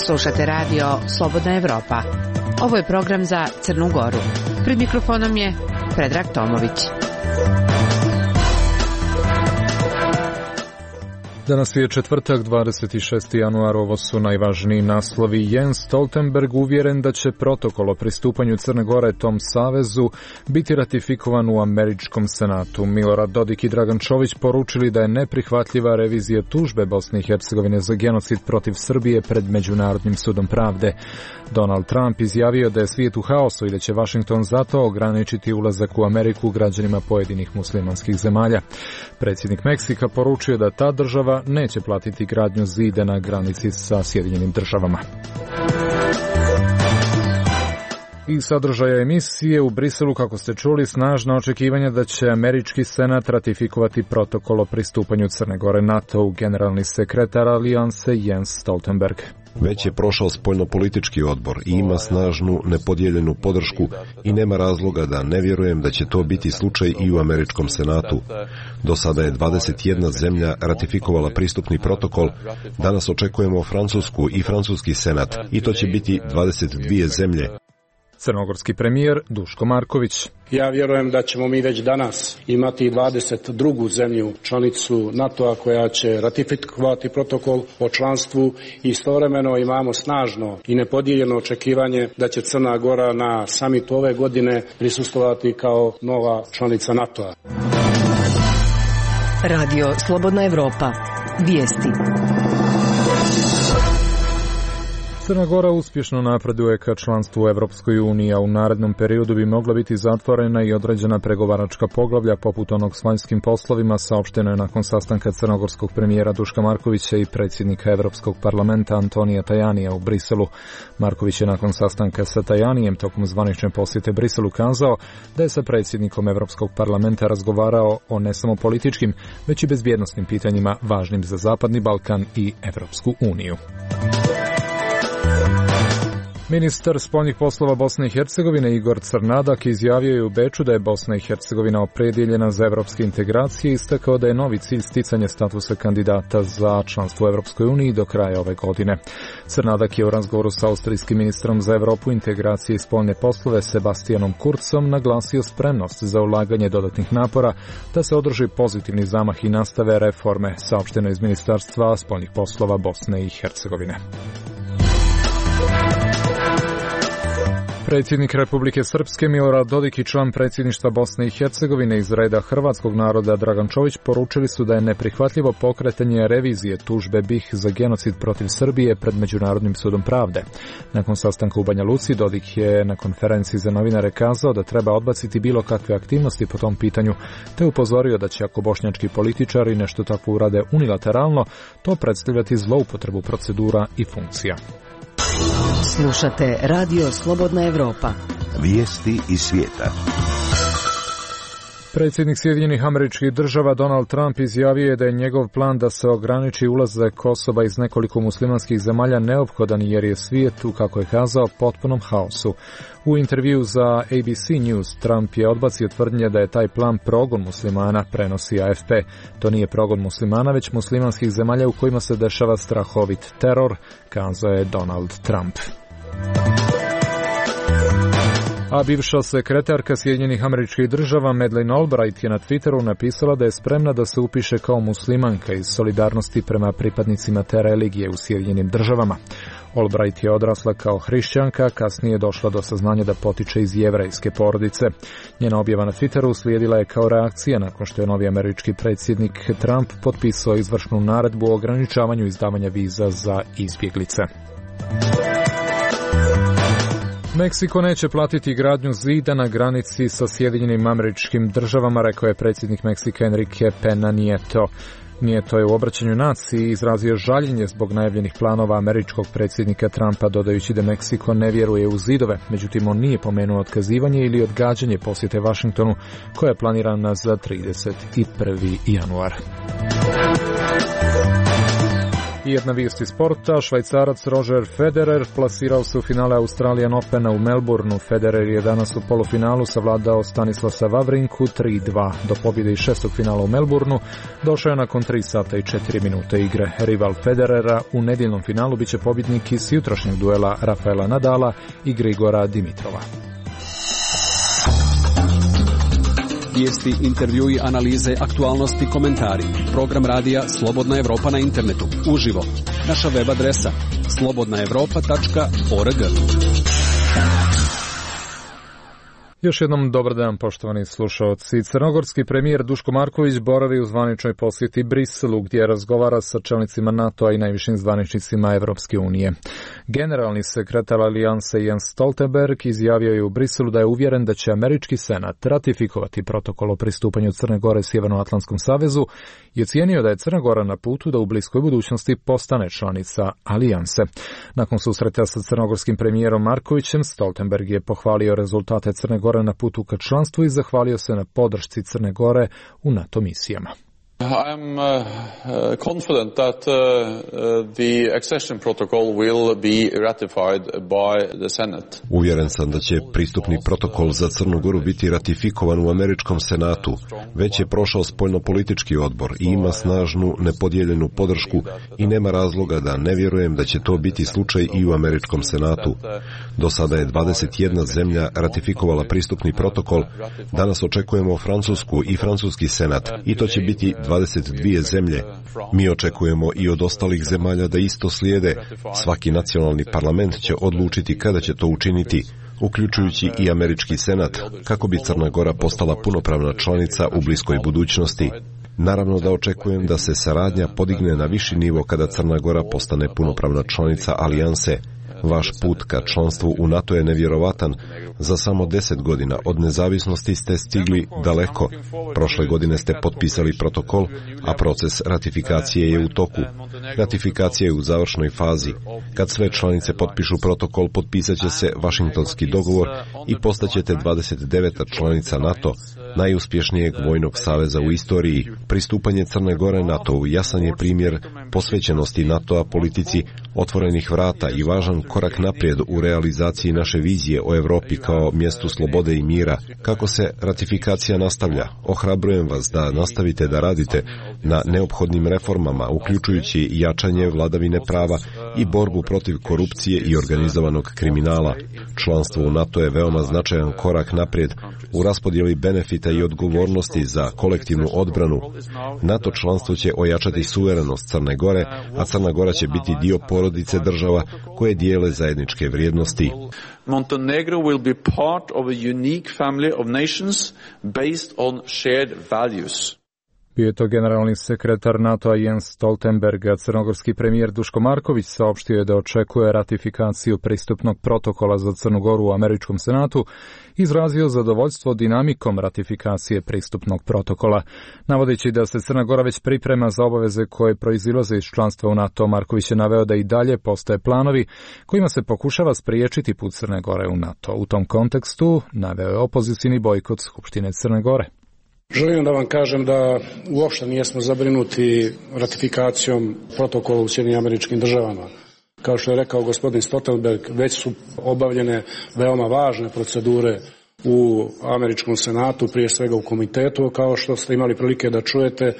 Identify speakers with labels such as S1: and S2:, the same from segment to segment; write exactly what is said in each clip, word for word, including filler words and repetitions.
S1: Slušate radio Slobodna Evropa. Ovo je program za Crnu Goru. Pred mikrofonom je Predrag Tomović.
S2: Danas je četvrtak, dvadeset šesti januar, ovo su najvažniji naslovi. Jens Stoltenberg uvjeren da će protokol o pristupanju Crne Gore tom savezu biti ratifikovan u američkom senatu. Milorad Dodik i Dragan Čović poručili da je neprihvatljiva revizija tužbe Bosne i Hercegovine za genocid protiv Srbije pred Međunarodnim sudom pravde. Donald Trump izjavio da je svijet u haosu i da će Washington zato ograničiti ulazak u Ameriku građanima pojedinih muslimanskih zemalja. Predsjednik Meksika poručio da ta država neće platiti gradnju zida na granici sa Sjedinjenim državama. I sadržaja emisije u Briselu, kako ste čuli, snažna očekivanja da će američki senat ratifikovati protokol o pristupanju Crne Gore NATO-u. Generalni sekretar alijanse Jens Stoltenberg.
S3: Već je prošao spoljnopolitički odbor i ima snažnu, nepodijeljenu podršku i nema razloga da ne vjerujem da će to biti slučaj i u američkom senatu. Do sada je dvadeset jedna zemlja ratifikovala pristupni protokol, danas očekujemo Francusku i francuski senat i to će biti dvadeset dvije zemlje.
S2: Crnogorski premijer Duško Marković.
S4: Ja vjerujem da ćemo mi već danas imati dvadeset drugu zemlju članicu NATO-a koja će ratifikovati protokol o članstvu i istovremeno imamo snažno i nepodijeljeno očekivanje da će Crna Gora na samitu ove godine prisustvovati kao nova članica NATO-a.
S5: Radio Slobodna Evropa. Vijesti.
S2: Crna Gora uspješno napreduje ka članstvu u Evropskoj uniji, a u narednom periodu bi mogla biti zatvorena i određena pregovaračka poglavlja poput onog s vanjskim poslovima, saopšteno je nakon sastanka crnogorskog premijera Duška Markovića i predsjednika Evropskog parlamenta Antonija Tajanija u Briselu. Marković je nakon sastanka sa Tajanijem tokom zvanične posjete Briselu kazao da je sa predsjednikom Evropskog parlamenta razgovarao o ne samo političkim, već i bezbjednosnim pitanjima važnim za Zapadni Balkan i Evropsku uniju. Ministar spoljnih poslova Bosne i Hercegovine Igor Crnadak izjavio je u Beču da je Bosna i Hercegovina opredjeljena za evropske integracije i istakao da je novi cilj sticanje statusa kandidata za članstvo u Evropskoj uniji do kraja ove godine. Crnadak je u razgovoru sa austrijskim ministrom za Evropu, integracije i spoljne poslove Sebastianom Kurzom naglasio spremnost za ulaganje dodatnih napora da se održi pozitivni zamah i nastave reforme, saopšteno iz Ministarstva spoljnih poslova Bosne i Hercegovine. Predsjednik Republike Srpske Milorad Dodik i član predsjedništva Bosne i Hercegovine iz reda hrvatskog naroda Dragan Čović poručili su da je neprihvatljivo pokretanje revizije tužbe B i H za genocid protiv Srbije pred Međunarodnim sudom pravde. Nakon sastanka u Banja Luci, Dodik je na konferenciji za novinare kazao da treba odbaciti bilo kakve aktivnosti po tom pitanju, te upozorio da će ako bošnjački političari nešto takvo urade unilateralno, to predstavljati zloupotrebu procedura i funkcija.
S5: Slušate Radio Slobodna Evropa.
S6: Vijesti iz svijeta.
S2: Predsjednik Sjedinjenih Američkih Država Donald Trump izjavio je da je njegov plan da se ograniči ulazak Kosova iz nekoliko muslimanskih zemalja neophodan jer je svijet, kako je kazao, potpunom haosu. U intervju za A B C News Trump je odbacio tvrdnje da je taj plan progon muslimana, prenosi A F P. To nije progon muslimana, već muslimanskih zemalja u kojima se dešava strahovit teror, kazao je Donald Trump. A bivša sekretarka Sjedinjenih Američkih Država Madeleine Albright je na Twitteru napisala da je spremna da se upiše kao muslimanka iz solidarnosti prema pripadnicima te religije u Sjedinjenim Državama. Albright je odrasla kao hrišćanka, kasnije je došla do saznanja da potiče iz jevrejske porodice. Njena objava na Twitteru uslijedila je kao reakcija nakon što je novi američki predsjednik Trump potpisao izvršnu naredbu o ograničavanju izdavanja viza za izbjeglice. Meksiko neće platiti gradnju zida na granici sa Sjedinjenim Američkim Državama, rekao je predsjednik Meksika Enrique Pena Nieto. Nieto je u obraćanju naciji izrazio žaljenje zbog najavljenih planova američkog predsjednika Trumpa, dodajući da Meksiko ne vjeruje u zidove. Međutim, on nije pomenuo otkazivanje ili odgađanje posjete Washingtonu, koja je planirana za trideset prvi januar. I jedna vijest iz sporta, Švajcarac Roger Federer plasirao se u finale Australian Opena u Melbourneu. Federer je danas u polufinalu savladao Stanislasa Vavrinku tri dva. Do pobjede iz šestog finala u Melbourneu došao je nakon tri sata i četiri minute igre. Rival Federera u nedjeljnom finalu biće pobjednik iz jutrašnjeg duela Rafaela Nadala i Grigora Dimitrova.
S7: Vijesti, intervjui, analize, aktualnosti, komentari. Program radija Slobodna Evropa na internetu. Uživo. Naša web adresa slobodna evropa tačka org.
S2: Još jednom dobar dan, poštovani slušalci. Crnogorski premijer Duško Marković boravi u zvaničnoj posjeti Briselu, gdje razgovara sa čelnicima NATO-a i najvišim zvaničnicima Evropske unije. Generalni sekretar alijanse Jens Stoltenberg izjavio je u Briselu da je uvjeren da će američki senat ratifikovati protokol o pristupanju Crne Gore Sjevernoatlantskom savezu i ocijenio da je Crna Gora na putu da u bliskoj budućnosti postane članica alijanse. Nakon susreta sa crnogorskim premijerom Markovićem, Stoltenberg je pohvalio rezultate Crne Gore na putu ka članstvu i zahvalio se na podršci Crne Gore u NATO misijama.
S8: I am uh, uh, confident that uh, uh, the accession protocol will be ratified by the Senate.
S3: Uvjeren sam da će pristupni protokol za Crnu Goru biti ratifikovan u američkom senatu. Već je prošao spoljnopolitički odbor i ima snažnu nepodijeljenu podršku i nema razloga da ne vjerujem da će to biti slučaj i u američkom senatu. Do sada je dvadeset jedna zemlja ratifikovala pristupni protokol. Danas očekujemo Francusku i francuski senat i to će biti dvadeset dvije zemlje. Mi očekujemo i od ostalih zemalja da isto slijede. Svaki nacionalni parlament će odlučiti kada će to učiniti, uključujući i američki senat, kako bi Crna Gora postala punopravna članica u bliskoj budućnosti. Naravno da očekujem da se saradnja podigne na viši nivo kada Crna Gora postane punopravna članica alijanse. Vaš put ka članstvu u NATO je nevjerovatan. Za samo deset godina od nezavisnosti ste stigli daleko. Prošle godine ste potpisali protokol, a proces ratifikacije je u toku. Ratifikacija je u završnoj fazi. Kad sve članice potpišu protokol, potpisat će se Vašingtonski dogovor i postaćete dvadeset deveta članica NATO, najuspješnijeg vojnog saveza u istoriji. Pristupanje Crne Gore NATO-u jasan je primjer posvećenosti NATO-a politici otvorenih vrata i važan korak naprijed u realizaciji naše vizije o Europi kao mjestu slobode i mira. Kako se ratifikacija nastavlja, ohrabrujem vas da nastavite da radite na neophodnim reformama, uključujući jačanje vladavine prava i borbu protiv korupcije i organizovanog kriminala. Članstvo u NATO je veoma značajan korak naprijed u raspodjeli benefita i odgovornosti za kolektivnu odbranu. NATO članstvo će ojačati suverenost Crne Gore, a Crna Gora će biti dio porodice država koje dijele zajedničke vrijednosti.
S8: Montenegro will be part of a unique family of nations based on shared values.
S2: Bio je to generalni sekretar NATO-a Jens Stoltenberg, a crnogorski premijer Duško Marković saopštio je da očekuje ratifikaciju pristupnog protokola za Crnu Goru u američkom senatu, izrazio zadovoljstvo dinamikom ratifikacije pristupnog protokola. Navodeći da se Crna Gora već priprema za obaveze koje proizilaze iz članstva u NATO, Marković je naveo da i dalje postoje planovi kojima se pokušava spriječiti put Crne Gore u NATO. U tom kontekstu naveo je opozicijni bojkot Skupštine Crne Gore.
S4: Želim da vam kažem da uopšte nijesmo zabrinuti ratifikacijom protokola u Sjedinjenim Američkim Državama. Kao što je rekao gospodin Stoltenberg, već su obavljene veoma važne procedure u američkom senatu, prije svega u komitetu, kao što ste imali prilike da čujete.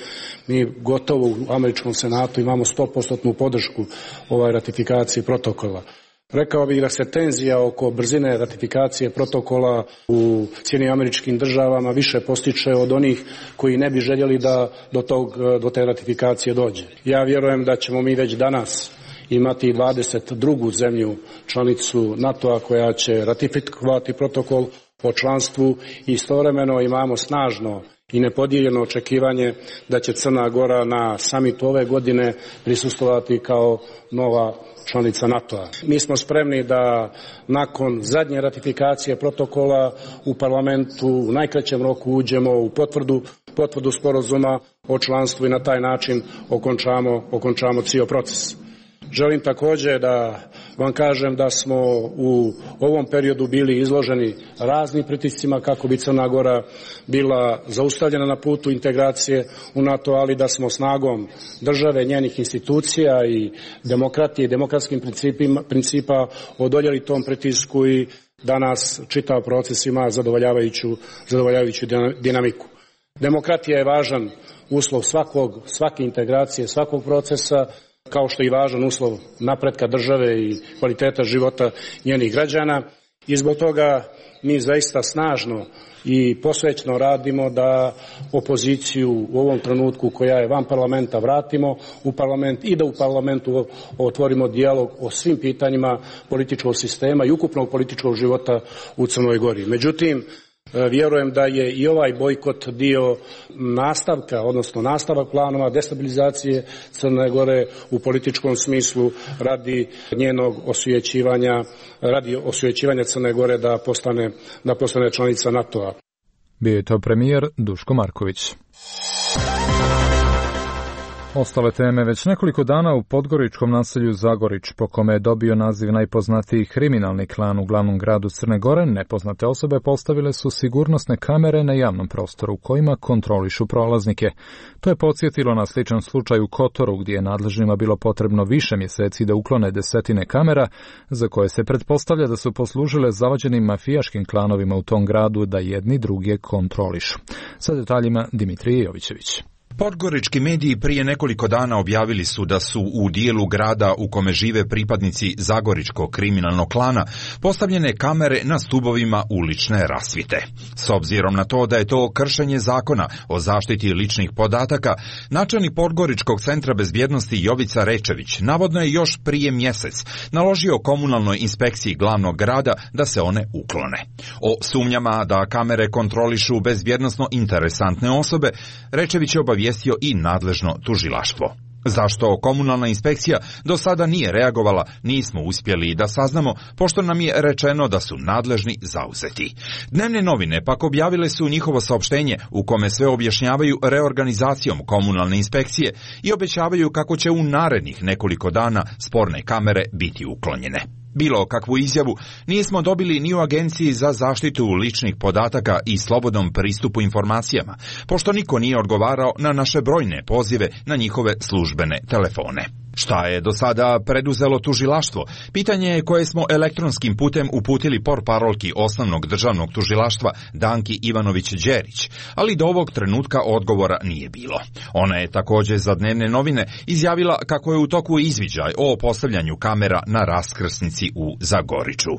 S4: Mi gotovo u američkom senatu imamo sto posto podršku ovaj ratifikacije protokola. Rekao bih da se tenzija oko brzine ratifikacije protokola u Sjedinjenim Američkim Državama više postiče od onih koji ne bi željeli da do, tog, do te ratifikacije dođe. Ja vjerujem da ćemo mi već danas imati dvadeset drugu zemlju članicu NATO-a koja će ratifikovati protokol o članstvu i istovremeno imamo snažno i nepodijeljeno očekivanje da će Crna Gora na samitu ove godine prisustvovati kao nova članica NATO-a. Mi smo spremni da nakon zadnje ratifikacije protokola u parlamentu u najkraćem roku uđemo u potvrdu, potvrdu sporazuma o članstvu i na taj način okončamo, okončamo cijel proces. Želim također da vam kažem da smo u ovom periodu bili izloženi raznim pritiscima kako bi Crna Gora bila zaustavljena na putu integracije u NATO, ali da smo snagom države, njenih institucija i demokratije i demokratskim principa odoljeli tom pritisku i danas čitav proces ima zadovoljavajuću, zadovoljavajuću dinamiku. Demokratija je važan uslov svakog, svake integracije, svakog procesa, kao što je i važan uslov napretka države i kvaliteta života njenih građana. I zbog toga mi zaista snažno i posvećno radimo da opoziciju u ovom trenutku koja je van parlamenta vratimo u parlament i da u parlamentu otvorimo dijalog o svim pitanjima političkog sistema i ukupnog političkog života u Crnoj Gori. Međutim, vjerujem da je i ovaj bojkot dio nastavka, odnosno nastavak planova destabilizacije Crne Gore u političkom smislu radi njenog osvećivanja, radi osvećivanja Crne Gore da postane, da postane članica NATO-a.
S2: Bio je to premijer Duško Marković. Ostale teme. Već nekoliko dana u podgoričkom naselju Zagorić, po kome je dobio naziv najpoznatiji kriminalni klan u glavnom gradu Crne Gore, nepoznate osobe postavile su sigurnosne kamere na javnom prostoru u kojima kontrolišu prolaznike. To je podsjetilo na sličan slučaj u Kotoru, gdje je nadležnima bilo potrebno više mjeseci da uklone desetine kamera, za koje se pretpostavlja da su poslužile zavađenim mafijaškim klanovima u tom gradu da jedni druge kontrolišu. Sa detaljima Dimitrije Jovićević.
S9: Podgorički mediji prije nekoliko dana objavili su da su u dijelu grada u kome žive pripadnici Zagoričkog kriminalnog klana postavljene kamere na stubovima ulične rasvjete. S obzirom na to da je to kršenje zakona o zaštiti ličnih podataka, načelnik Podgoričkog centra bezbjednosti Jovica Rečević navodno je još prije mjesec naložio komunalnoj inspekciji glavnog grada da se one uklone. O sumnjama da kamere kontrolišu bezbjednosno interesantne osobe, Rečević je obavijestio i nadležno tužilaštvo. Zašto komunalna inspekcija do sada nije reagovala, nismo uspjeli da saznamo, pošto nam je rečeno da su nadležni zauzeti. Dnevne novine pak objavile su njihovo saopštenje u kome sve objašnjavaju reorganizacijom komunalne inspekcije i obećavaju kako će u narednih nekoliko dana sporne kamere biti uklonjene. Bilo kakvu izjavu nismo dobili ni u Agenciji za zaštitu ličnih podataka i slobodnom pristupu informacijama, pošto niko nije odgovarao na naše brojne pozive na njihove službene telefone. Šta je do sada preduzelo tužilaštvo? Pitanje je koje smo elektronskim putem uputili portparolki osnovnog državnog tužilaštva Danki Ivanović-Đerić, ali do ovog trenutka odgovora nije bilo. Ona je također za dnevne novine izjavila kako je u toku izviđaj o postavljanju kamera na raskrsnici u Zagoriću.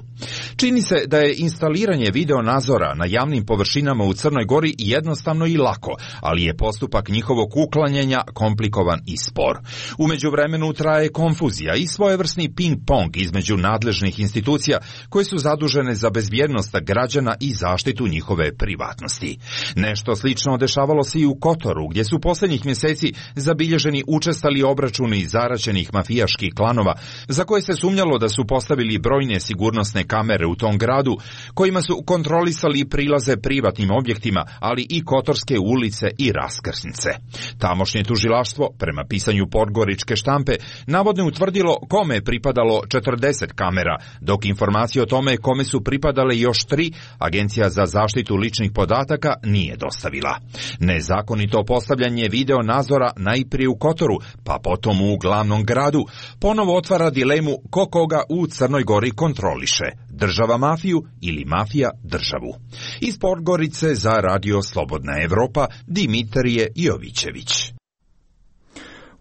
S9: Čini se da je instaliranje video nadzora na javnim površinama u Crnoj Gori jednostavno i lako, ali je postupak njihovog uklanjanja komplikovan i spor. U međuvremenu traje konfuzija i svojevrsni ping-pong između nadležnih institucija koje su zadužene za bezbjednost građana i zaštitu njihove privatnosti. Nešto slično dešavalo se i u Kotoru, gdje su posljednjih mjeseci zabilježeni učestali obračuni zaraćenih mafijaških klanova, za koje se sumnjalo da su postavili brojne sigurnosne kamere u tom gradu, kojima su kontrolisali prilaze privatnim objektima, ali i kotorske ulice i raskrsnice. Tamošnje tužilaštvo, prema pisanju podgoričke štampe, navodno je utvrdilo kome je pripadalo četrdeset kamera, dok informacije o tome kome su pripadale još tri, Agencija za zaštitu ličnih podataka nije dostavila. Nezakonito postavljanje video nadzora najprije u Kotoru, pa potom u glavnom gradu, ponovo otvara dilemu ko koga u Crnoj Gori kontroliše, država mafiju ili mafija državu. Iz Podgorice za Radio Slobodna Evropa, Dimitrije Jovićević.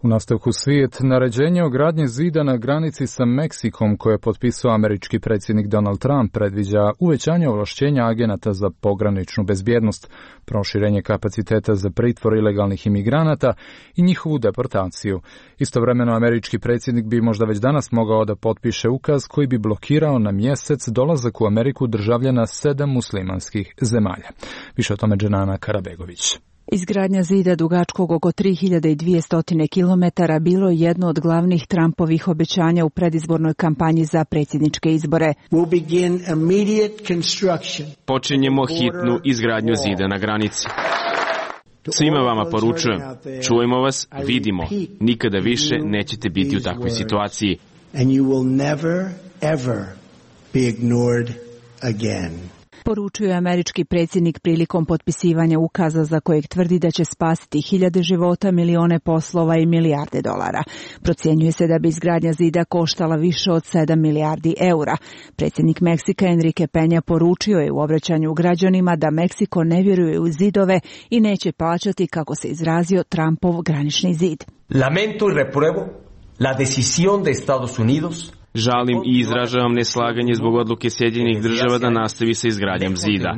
S2: U nastavku svijet, naređenje o gradnji zida na granici sa Meksikom koje je potpisao američki predsjednik Donald Trump predviđa uvećanje ovlašćenja agenata za pograničnu bezbjednost, proširenje kapaciteta za pritvor ilegalnih imigranata i njihovu deportaciju. Istovremeno američki predsjednik bi možda već danas mogao da potpiše ukaz koji bi blokirao na mjesec dolazak u Ameriku državljana sedam muslimanskih zemalja. Više o tome Dženana Karabegović.
S10: Izgradnja zida dugačkog oko tri hiljade dvjesto kilometara bilo je jedno od glavnih Trumpovih obećanja u predizbornoj kampanji za predsjedničke izbore.
S11: Počinjemo hitnu izgradnju zida na granici. Svima vama poručujem, čujemo vas, vidimo, nikada više nećete biti u takvoj situaciji.
S10: Poručio je američki predsjednik prilikom potpisivanja ukaza za kojeg tvrdi da će spasiti hiljade života, milione poslova i milijarde dolara. Procjenjuje se da bi izgradnja zida koštala više od sedam milijardi eura. Predsjednik Meksika Enrique Peña poručio je u obraćanju građanima da Meksiko ne vjeruje u zidove i neće plaćati, kako se izrazio, Trumpov granični zid.
S12: Lamento y repruebo la decisión de Estados Unidos.
S11: Žalim i izražavam neslaganje zbog odluke Sjedinjenih država da nastavi sa izgradnjom zida.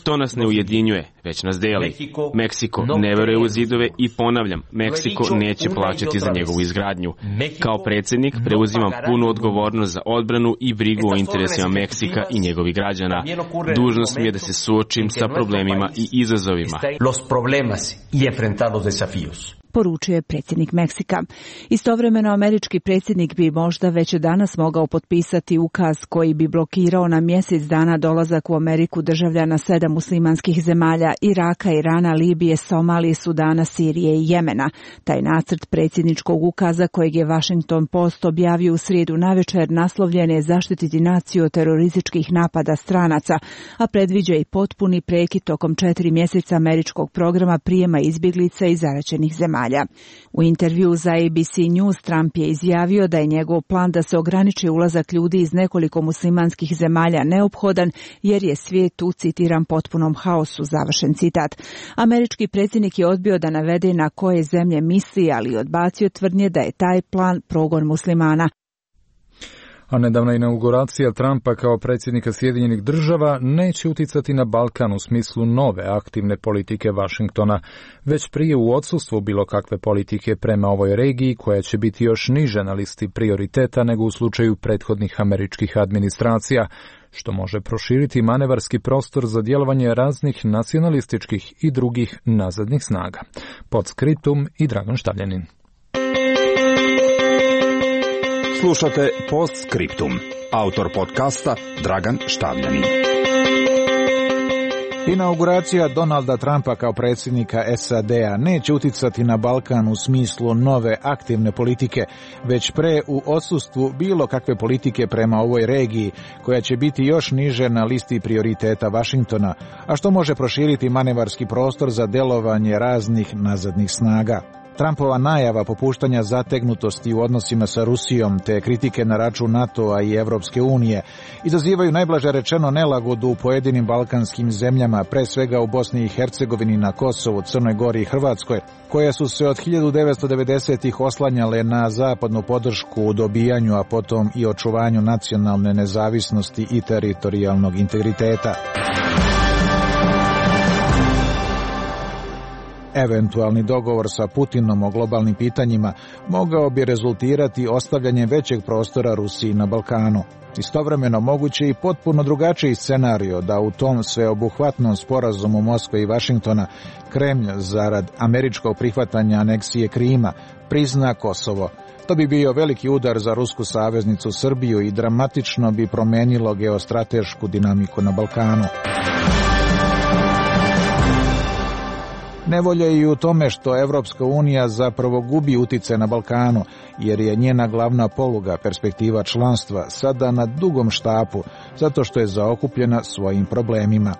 S11: To nas ne ujedinjuje, već nas deli. Meksiko ne veruje u zidove i ponavljam, Meksiko neće plaćati za njegovu izgradnju. Kao predsjednik preuzimam punu odgovornost za odbranu i brigu o interesima Meksika i njegovih građana. Dužnost mi je da se suočim sa problemima i izazovima.
S10: Poručio je predsjednik Meksika. Istovremeno, američki predsjednik bi možda već danas mogao potpisati ukaz koji bi blokirao na mjesec dana dolazak u Ameriku državljana sedam muslimanskih zemalja: Iraka, Irana, Libije, Somalije, Sudana, Sirije i Jemena. Taj nacrt predsjedničkog ukaza, kojeg je Washington Post objavio u srijedu navečer, naslovljen je zaštititi naciju od terorističkih napada stranaca, a predviđa i potpuni prekid tokom četiri mjeseca američkog programa prijema izbjeglica iz zaraćenih zemalja. U intervju za A B C News Trump je izjavio da je njegov plan da se ograniči ulazak ljudi iz nekoliko muslimanskih zemalja neophodan, jer je svijet u, citiram, potpunom haosu, završen citat. Američki predsjednik je odbio da navede na koje zemlje misli, ali odbacio tvrdnje da je taj plan progon muslimana.
S2: A nedavna inauguracija Trumpa kao predsjednika Sjedinjenih država neće uticati na Balkan u smislu nove aktivne politike Washingtona, već prije u odsustvu bilo kakve politike prema ovoj regiji, koja će biti još niže na listi prioriteta nego u slučaju prethodnih američkih administracija, što može proširiti manevarski prostor za djelovanje raznih nacionalističkih i drugih nazadnih snaga. Podscriptum i Dragan Štavljanin.
S9: Slušate Postscriptum. Autor podcasta Dragan Štavljanin.
S13: Inauguracija Donalda Trumpa kao predsjednika S A D-a neće uticati na Balkan u smislu nove aktivne politike, već pre u odsustvu bilo kakve politike prema ovoj regiji, koja će biti još niže na listi prioriteta Washingtona, a što može proširiti manevarski prostor za djelovanje raznih nazadnih snaga. Trumpova najava popuštanja zategnutosti u odnosima sa Rusijom te kritike na račun NATO-a i Evropske unije izazivaju najblaže rečeno nelagodu u pojedinim balkanskim zemljama, pre svega u Bosni i Hercegovini, na Kosovu, Crnoj Gori i Hrvatskoj, koje su se od hiljadu devetsto devedesetih oslanjale na zapadnu podršku u dobijanju, a potom i očuvanju nacionalne nezavisnosti i teritorijalnog integriteta. Eventualni dogovor sa Putinom o globalnim pitanjima mogao bi rezultirati ostavljanjem većeg prostora Rusiji na Balkanu. Istovremeno moguće i potpuno drugačiji scenario da u tom sveobuhvatnom sporazumu Moskve i Vašingtona Kremlj, zarad američkog prihvatanja aneksije Krima, prizna Kosovo. To bi bio veliki udar za rusku saveznicu Srbiju i dramatično bi promenilo geostratešku dinamiku na Balkanu. Nevolja je i u tome što Evropska unija zapravo gubi utjecaj na Balkanu, jer je njena glavna poluga, perspektiva članstva, sada na dugom štapu, zato što je zaokupljena svojim problemima.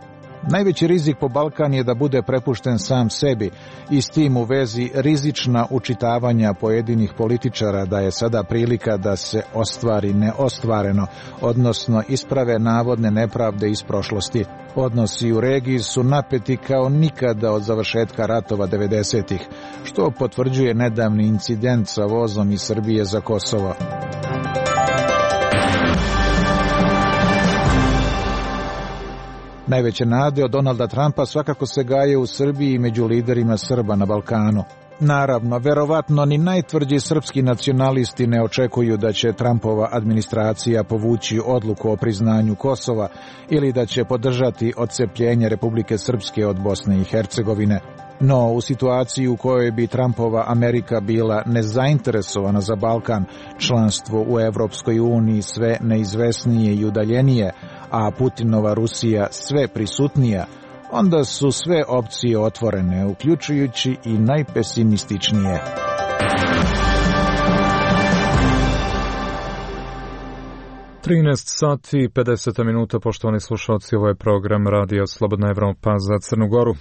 S13: Najveći rizik po Balkan je da bude prepušten sam sebi i s tim u vezi rizična učitavanja pojedinih političara da je sada prilika da se ostvari neostvareno, odnosno isprave navodne nepravde iz prošlosti. Odnosi u regiji su napeti kao nikada od završetka ratova devedesetih, što potvrđuje nedavni incident sa vozom iz Srbije za Kosovo. Najveće nade od Donalda Trumpa svakako se gaje u Srbiji i među liderima Srba na Balkanu. Naravno, verovatno ni najtvrđi srpski nacionalisti ne očekuju da će Trumpova administracija povući odluku o priznanju Kosova ili da će podržati odcepljenje Republike Srpske od Bosne i Hercegovine. No, u situaciji u kojoj bi Trumpova Amerika bila nezainteresovana za Balkan, članstvo u Evropskoj uniji sve neizvesnije i udaljenije, a Putinova Rusija sve prisutnija, onda su sve opcije otvorene, uključujući i najpesimističnije.
S2: trinaest sati i pedeset minuta, poštovani slušalci, ovo je program Radio Slobodna Evropa za Crnu Goru.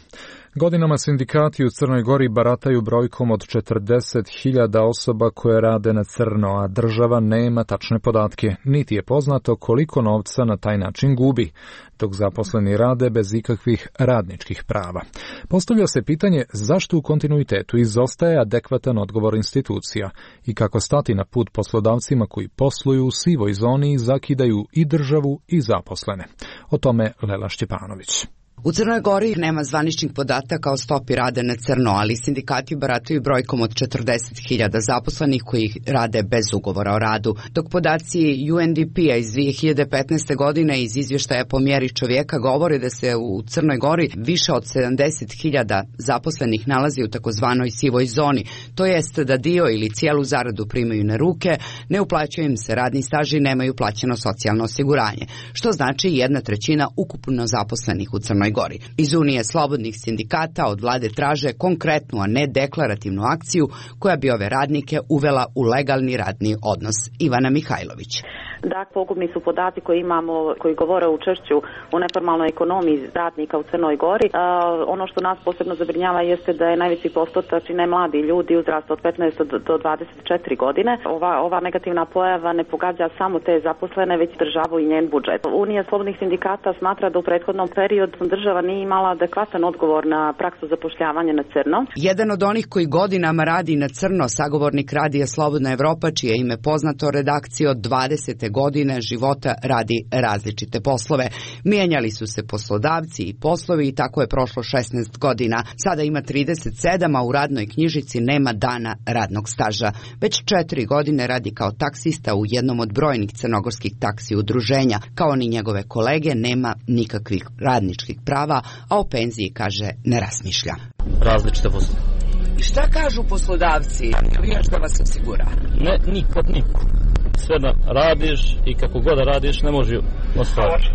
S2: Godinama sindikati u Crnoj Gori barataju brojkom od četrdeset hiljada osoba koje rade na crno, a država nema tačne podatke, niti je poznato koliko novca na taj način gubi, dok zaposleni rade bez ikakvih radničkih prava. Postavlja se pitanje zašto u kontinuitetu izostaje adekvatan odgovor institucija i kako stati na put poslodavcima koji posluju u sivoj zoni i zakidaju i državu i zaposlene. O tome Lela Šćepanović.
S14: U Crnoj Gori nema zvaničnih podataka o stopi rada na crno, ali sindikati barataju brojkom od četrdeset hiljada zaposlenih koji rade bez ugovora o radu, dok podaci U N D P-a iz dvije hiljade petnaeste. godine iz izvještaja po mjeri čovjeka govore da se u Crnoj Gori više od sedamdeset hiljada zaposlenih nalazi u takozvanoj sivoj zoni, to jest da dio ili cijelu zaradu primaju na ruke, ne uplaćuje im se radni staž i nemaju plaćeno socijalno osiguranje, što znači jedna trećina ukupno zaposlenih u Crnoj Gori. Iz Unije slobodnih sindikata od vlade traže konkretnu, a ne deklarativnu akciju koja bi ove radnike uvela u legalni radni odnos. Ivana Mihajlović.
S15: Dakle, pogubni su podaci koji imamo, koji govore o učešću u neformalnoj ekonomiji radnika u Crnoj Gori. Uh, ono što nas posebno zabrinjava jeste da je najveći postotak čine mladi ljudi uzrasta od petnaest do dvadeset četiri godine. Ova, ova negativna pojava ne pogađa samo te zaposlene, već državu i njen budžet. Unija slobodnih sindikata smatra da u prethodnom periodu država nije imala adekvatan odgovor na praksu zapošljavanja na crno.
S14: Jedan od onih koji godinama radi na crno, sagovornik radija Slobodna Evropa, čije ime poznato redakcije od dvadesete godine života radi različite poslove. Mijenjali su se poslodavci i poslovi i tako je prošlo šesnaest godina. Sada ima trideset sedam, a u radnoj knjižici nema dana radnog staža. Već četiri godine radi kao taksista u jednom od brojnih crnogorskih taksi udruženja. Kao ni njegove kolege nema nikakvih radničkih prava, a o penziji, kaže, ne razmišlja.
S16: Različite poslove.
S14: I šta kažu poslodavci? Vijaš da vas osigura?
S16: Ne, nikad niko. Sve da radiš i kako god da radiš ne može ostvariti.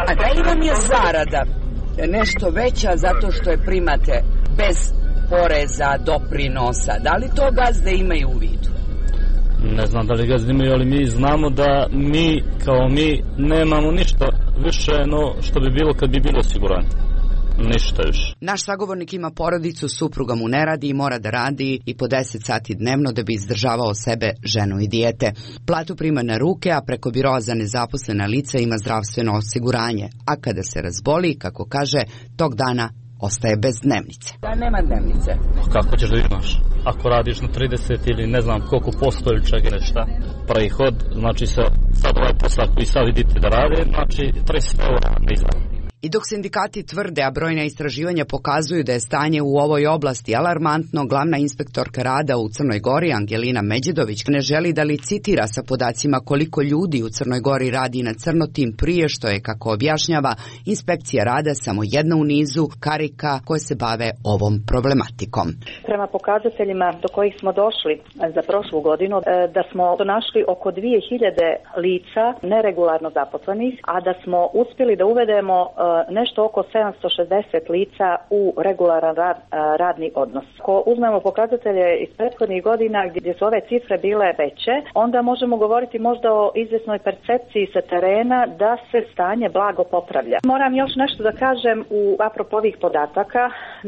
S14: A da li vam je zarada nešto veća zato što je primate bez poreza, doprinosa? Da li to gazde imaju u vidu?
S16: Ne znam da li gazde imaju, ali mi znamo da mi kao mi nemamo ništa više no što bi bilo kad bi bilo osiguranje. Ništa još.
S14: Naš sagovornik ima porodicu, supruga mu ne radi i mora da radi i po deset sati dnevno da bi izdržavao sebe, ženu i dijete. Platu prima na ruke, a preko biroa za nezaposlena lica ima zdravstveno osiguranje. A kada se razboli, kako kaže, tog dana ostaje bez dnevnice. Da, nema dnevnice.
S16: Kako ćeš da imaš? Ako radiš na trideset ili ne znam koliko posto ili čega nešto, prihod, znači sa, sad ovaj posao koji sad vidite da rade, znači tristo eura ne izgleda.
S14: I dok sindikati tvrde, a brojna istraživanja pokazuju da je stanje u ovoj oblasti alarmantno, glavna inspektorka rada u Crnoj Gori, Angelina Međedović, ne želi da licitira sa podacima koliko ljudi u Crnoj Gori radi na crno, tim prije što je, kako objašnjava, inspekcija rada samo jedna u nizu karika koje se bave ovom problematikom.
S17: Prema pokazateljima do kojih smo došli za prošlu godinu, da smo našli oko dvije hiljade lica neregularno zaposlenih, a da smo uspjeli da uvedemo nešto oko sedamsto šezdeset lica u regularan rad, radni odnos. Ako uzmemo pokazatelje iz prethodnih godina gdje su ove cifre bile veće, onda možemo govoriti možda o izvjesnoj percepciji sa terena da se stanje blago popravlja. Moram još nešto da kažem u apropo ovih podataka,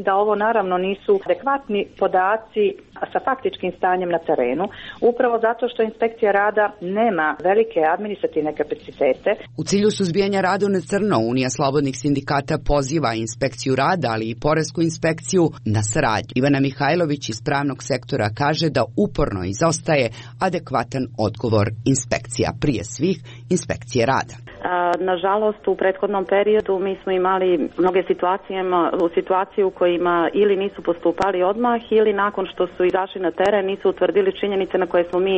S17: da ovo naravno nisu adekvatni podaci sa faktičkim stanjem na terenu, upravo zato što inspekcija rada nema velike administrativne kapacitete.
S14: U cilju suzbijanja rada na crno, Unija slobodnih sindikata poziva inspekciju rada, ali i poresku inspekciju na saradnju. Ivana Mihajlović iz pravnog sektora kaže da uporno izostaje adekvatan odgovor inspekcija, prije svih inspekcije rada.
S15: Nažalost, u prethodnom periodu mi smo imali mnoge situacije, u situaciji u kojima ili nisu postupali odmah ili nakon što su izašli na teren nisu utvrdili činjenice na koje smo mi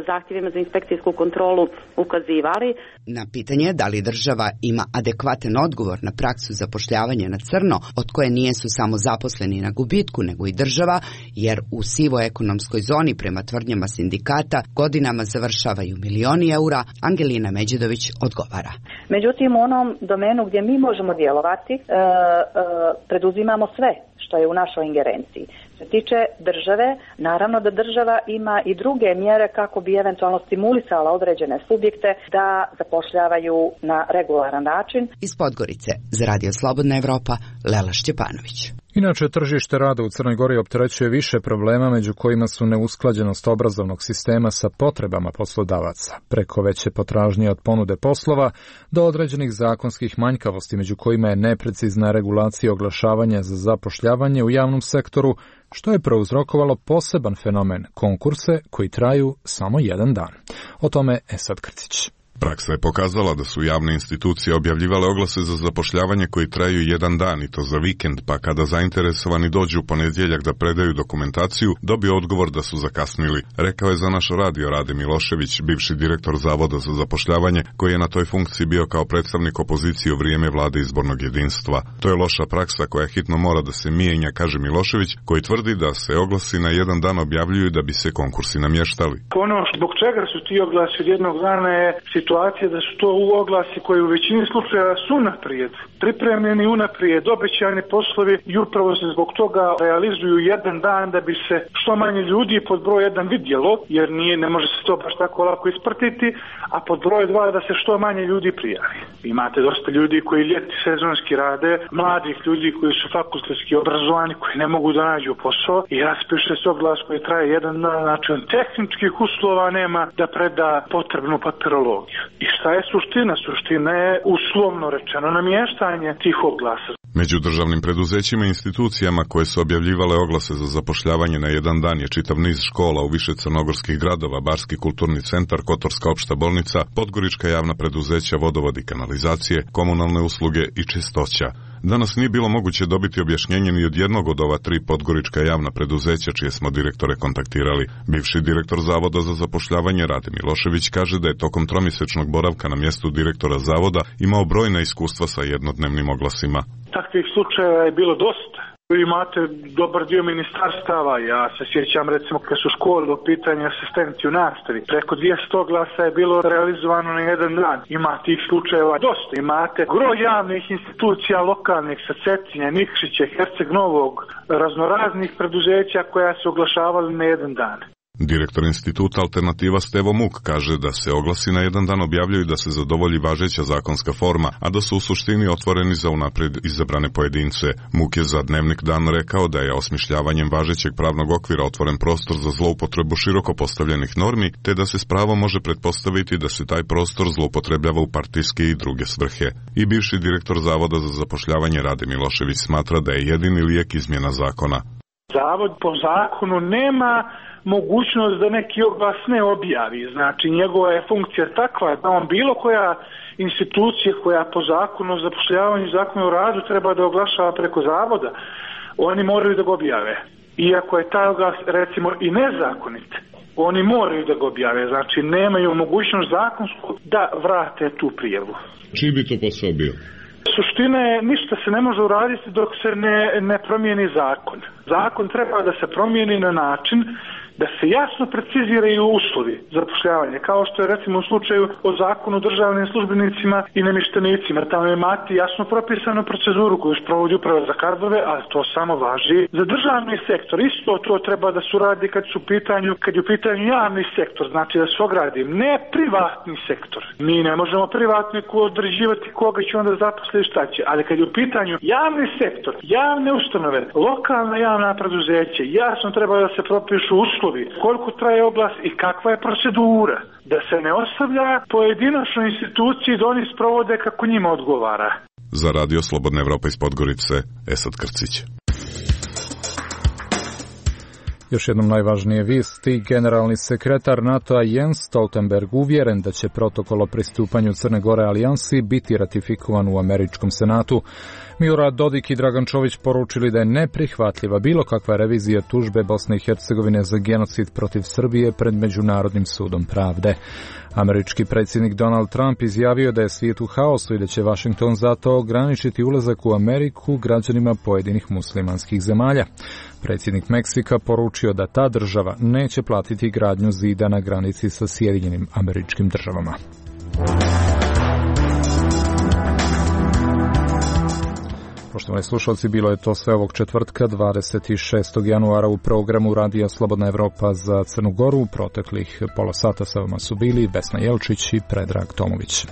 S15: zahtjevima za inspekcijsku kontrolu ukazivali.
S14: Na pitanje da li država ima adekvatan odgovor odgovor na praksu zapošljavanja na crno, od koje nijesu samo zaposleni na gubitku, nego i država, jer u sivoj ekonomskoj zoni prema tvrdnjama sindikata godinama završavaju milioni eura, Angelina Međedović odgovara.
S17: Međutim, u onom domenu gdje mi možemo djelovati, e, e, preduzimamo sve što je u našoj ingerenciji. Što se tiče države, naravno da država ima i druge mjere kako bi eventualno stimulisala određene subjekte da zapošljavaju na regularan način.
S14: Iz Podgorice za Radio Slobodna Evropa, Lela Šćepanović.
S2: Inače, tržište rada u Crnoj Gori opterećuje više problema, među kojima su neusklađenost obrazovnog sistema sa potrebama poslodavaca, preko veće potražnje od ponude poslova do određenih zakonskih manjkavosti, među kojima je neprecizna regulacija oglašavanja za zapošljavanje u javnom sektoru, što je prouzrokovalo poseban fenomen konkurse koji traju samo jedan dan. O tome Esad Krcić.
S18: Praksa je pokazala da su javne institucije objavljivale oglase za zapošljavanje koji traju jedan dan i to za vikend, pa kada zainteresovani dođu u ponedjeljak da predaju dokumentaciju, dobio odgovor da su zakasnili. Rekao je za naš radio Rade Milošević, bivši direktor Zavoda za zapošljavanje, koji je na toj funkciji bio kao predstavnik opozicije u vrijeme vlade izbornog jedinstva. To je loša praksa koja hitno mora da se mijenja, kaže Milošević, koji tvrdi da se oglasi na jedan dan objavljuju da bi se konkursi namještali.
S19: Ono zbog čega su ti oglasi od jednog dana je situacija da su to oglasi koji u većini slučajeva su unaprijed, pripremljeni unaprijed, obećani poslovi i upravo se zbog toga realizuju jedan dan da bi se što manje ljudi pod broj jedan vidjelo, jer nije, ne može se to baš tako lako isprtiti, a pod broj dva da se što manje ljudi prijavi. Imate dosta ljudi koji ljeti sezonski rade, mladih ljudi koji su fakultetski obrazovani, koji ne mogu da nađu posao i raspiše se oglas koji traje jedan dan, znači on tehničkih uslova nema da preda potrebnu papirologiju. I šta je suština? Suština je uslovno rečeno namještanje tih oglasa.
S18: Među državnim preduzećima i institucijama koje su objavljivale oglase za zapošljavanje na jedan dan je čitav niz škola u više crnogorskih gradova, Barski kulturni centar, Kotorska opšta bolnica, Podgorička javna preduzeća, vodovod i kanalizacije, komunalne usluge i čistoća. Danas nije bilo moguće dobiti objašnjenje ni od jednog od ova tri podgorička javna preduzeća čije smo direktore kontaktirali. Bivši direktor Zavoda za zapošljavanje Rade Milošević kaže da je tokom tromjesečnog boravka na mjestu direktora Zavoda imao brojna iskustva sa jednodnevnim oglasima.
S19: Takvih slučajeva je bilo dosta. Imate dobar dio ministarstava, ja se sjećam recimo kad su škole u pitanju asistenti u nastavi, preko dvjesto oglasa je bilo realizovano na jedan dan. Ima tih slučajeva dosta, imate gro javnih institucija lokalnih sa Cetinja, Nikšića, Herceg Novog, raznoraznih preduzeća koja su oglašavali na jedan dan.
S18: Direktor instituta Alternativa Stevo Muk kaže da se oglasi na jedan dan objavljuju da se zadovolji važeća zakonska forma, a da su u suštini otvoreni za unaprijed izabrane pojedince. Muk je za Dnevnik Dan rekao da je osmišljavanjem važećeg pravnog okvira otvoren prostor za zloupotrebu široko postavljenih normi, te da se s pravom može pretpostaviti da se taj prostor zloupotrebljava u partijske i druge svrhe. I bivši direktor Zavoda za zapošljavanje Rade Milošević smatra da je jedini lijek izmjena zakona.
S19: Zavod po zakonu nema mogućnost da neki oglas ne objavi. Znači, njegova je funkcija takva da on bilo koja institucija koja po zakonu o zapošljavanju i zakonu o radu treba da oglašava preko zavoda, oni moraju da ga objave. Iako je taj oglas, recimo, i nezakonit, oni moraju da ga objave. Znači, nemaju mogućnost zakonsku da vrate tu prijavu.
S18: Čiji bi to posao bio?
S19: Suština je, ništa se ne može uraditi dok se ne, ne promijeni zakon. Zakon treba da se promijeni na način da se jasno preciziraju uslovi zapošljavanja, kao što je recimo u slučaju o zakonu o državnim službenicima i namještenicima. Tamo imate jasno propisanu proceduru koju sprovodi uprava za kadrove, ali to samo važi za državni sektor. Isto to treba da se uradi kad su u pitanju, kad je u pitanju javni sektor, znači da se ogradi, ne privatni sektor. Mi ne možemo privatniku određivati koga će onda zaposliti šta će, ali kad je u pitanju javni sektor, javne ustanove, lokalna javna preduzeća, jasno treba da se propišu uslovi, koliko traje oglas i kakva je procedura, da se ne ostavlja pojedinačnoj instituciji da oni sprovode kako njima odgovara.
S18: Za Radio Slobodna Evropa iz Podgorice, Esad Krcić.
S2: Još jednom najvažnije vijesti, generalni sekretar NATO-a Jens Stoltenberg uvjeren da će protokol o pristupanju Crne Gore alijansi biti ratifikovan u američkom senatu. Milorad Dodik i Dragan Čović poručili da je neprihvatljiva bilo kakva revizija tužbe Bosne i Hercegovine za genocid protiv Srbije pred Međunarodnim sudom pravde. Američki predsjednik Donald Trump izjavio da je svijet u haosu i da će Washington zato ograničiti ulazak u Ameriku građanima pojedinih muslimanskih zemalja. Predsjednik Meksika poručio da ta država neće platiti gradnju zida na granici sa Sjedinjenim Američkim Državama. Poštovani slušalci, bilo je to sve ovog četvrtka, dvadeset šestog januara u programu Radija Slobodna Evropa za Crnu Goru. Proteklih pola sata sa vama su bili Vesna Jelčić i Predrag Tomović.